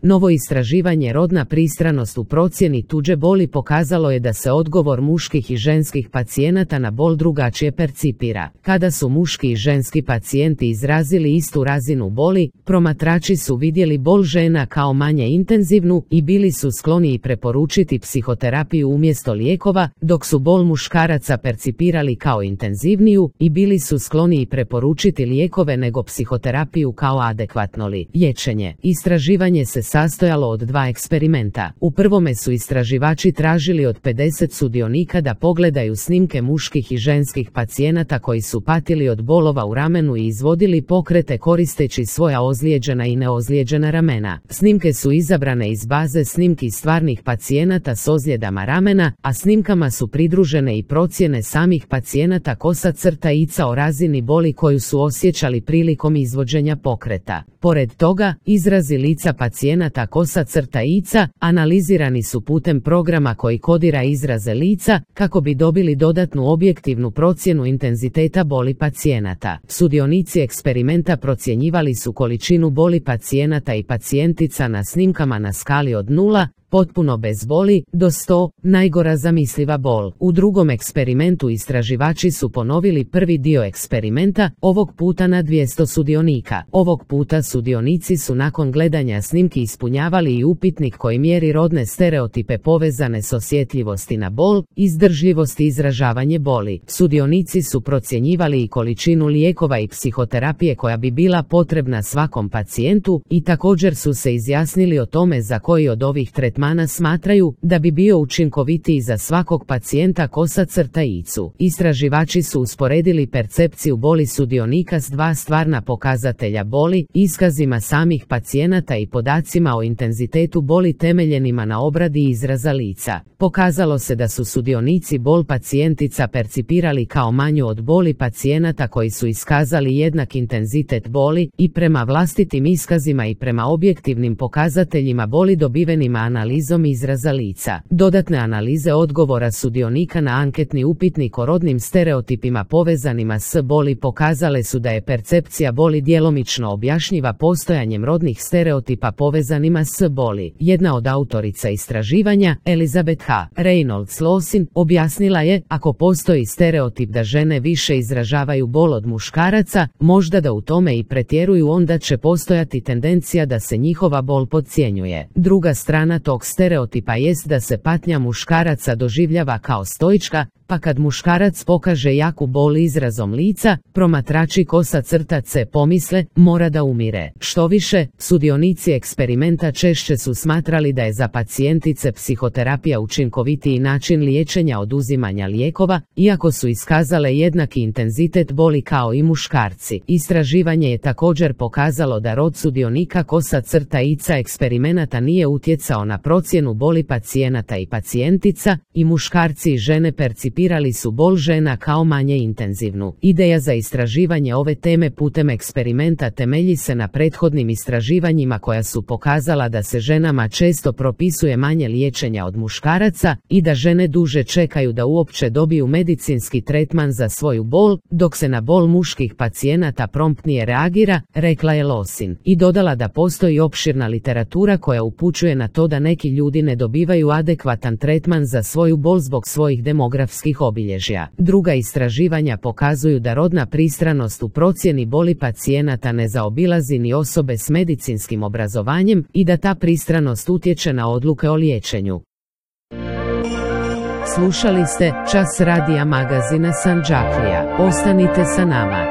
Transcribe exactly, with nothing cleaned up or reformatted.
Novo istraživanje rodna pristranost u procjeni tuđe boli pokazalo je da se odgovor muških i ženskih pacijenata na bol drugačije percipira. Kada su muški i ženski pacijenti izrazili istu razinu boli, promatrači su vidjeli bol žena kao manje intenzivnu i bili su skloniji preporučiti psihoterapiju umjesto lijekova, dok su bol muškaraca percipirali kao intenzivniju i bili su skloniji preporučiti lijekove nego psihoterapiju kao adekvatno liječenje. Istraživanje se sastojalo od dva eksperimenta. U prvome su istraživači tražili od pedeset sudionika da pogledaju snimke muških i ženskih pacijenata koji su patili od bolova u ramenu i izvodili pokrete koristeći svoja ozlijeđena i neozlijeđena ramena. Snimke su izabrane iz baze snimki stvarnih pacijenata s ozljedama ramena, a snimkama su pridružene i procjene samih pacijenata kosa crta ica o razini boli koju su osjećali prilikom izvođenja pokreta. Pored toga, izrazi lica pacijenata kosa crta ica analizirani su putem programa koji kodira izraze lica kako bi dobili dodatnu objektivnu procjenu intenziteta boli pacijenata. Sudionici eksperimenta procjenjivali su količinu boli pacijenata i pacijentica na snimkama na skali od nula, potpuno bez boli, do sto, najgora zamisliva bol. U drugom eksperimentu istraživači su ponovili prvi dio eksperimenta, ovog puta na dvjesto sudionika. Ovog puta sudionici su nakon gledanja snimki ispunjavali i upitnik koji mjeri rodne stereotipe povezane s osjetljivosti na bol, izdržljivost i izražavanje boli. Sudionici su procjenjivali i količinu lijekova i psihoterapije koja bi bila potrebna svakom pacijentu i također su se izjasnili o tome za koji od ovih tretmana smatraju da bi bio učinkovitiji za svakog pacijenta kosa crta icu. Istraživači su usporedili percepciju boli sudionika s dva stvarna pokazatelja boli, iskazima samih pacijenata i podacima o intenzitetu boli temeljenima na obradi izraza lica. Pokazalo se da su sudionici bol pacijentica percipirali kao manju od boli pacijenata koji su iskazali jednak intenzitet boli i prema vlastitim iskazima i prema objektivnim pokazateljima boli dobivenima analizom izraza lica. Dodatne analize odgovora sudionika na anketni upitnik o rodnim stereotipima povezanima s boli pokazale su da je percepcija boli djelomično objašnjiva postojanjem rodnih stereotipa povezanima s boli. Jedna od autorica istraživanja, Elizabeth H. Reynolds Lawson, objasnila je, ako postoji stereotip da žene više izražavaju bol od muškaraca, možda da u tome i pretjeruju, onda će postojati tendencija da se njihova bol podcjenjuje. Druga strana tog stereotipa jest da se patnja muškaraca doživljava kao stoička, pa kad muškarac pokaže jaku bol izrazom lica, promatrači kosa crta C pomisle, mora da umire. Što više, sudionici eksperimenta češće su smatrali da je za pacijentice psihoterapija učinkovitiji način liječenja od uzimanja lijekova, iako su iskazale jednaki intenzitet boli kao i muškarci. Istraživanje je također pokazalo da rod sudionika kosa crta ica eksperimenata nije utjecao na procjenu boli pacijenata i pacijentica, i muškarci i žene percipirali su bol žena kao manje intenzivnu. Ideja za istraživanje ove teme putem eksperimenta temelji se na prethodnim istraživanjima koja su pokazala da se ženama često propisuje manje liječenja od muškaraca i da žene duže čekaju da uopće dobiju medicinski tretman za svoju bol, dok se na bol muških pacijenata promptnije reagira, rekla je Lawson. I dodala da postoji opširna literatura koja upućuje na to da neki ljudi ne dobivaju adekvatan tretman za svoju bol zbog svojih demografskih obilježja. Druga istraživanja pokazuju da rodna pristranost u procjeni boli pacijenata ne zaobilazi ni osobe s medicinskim obrazovanjem i da ta pristranost utječe na odluke o liječenju. Slušali ste Čas radija magazina Sandžaklija. Ostanite sa nama.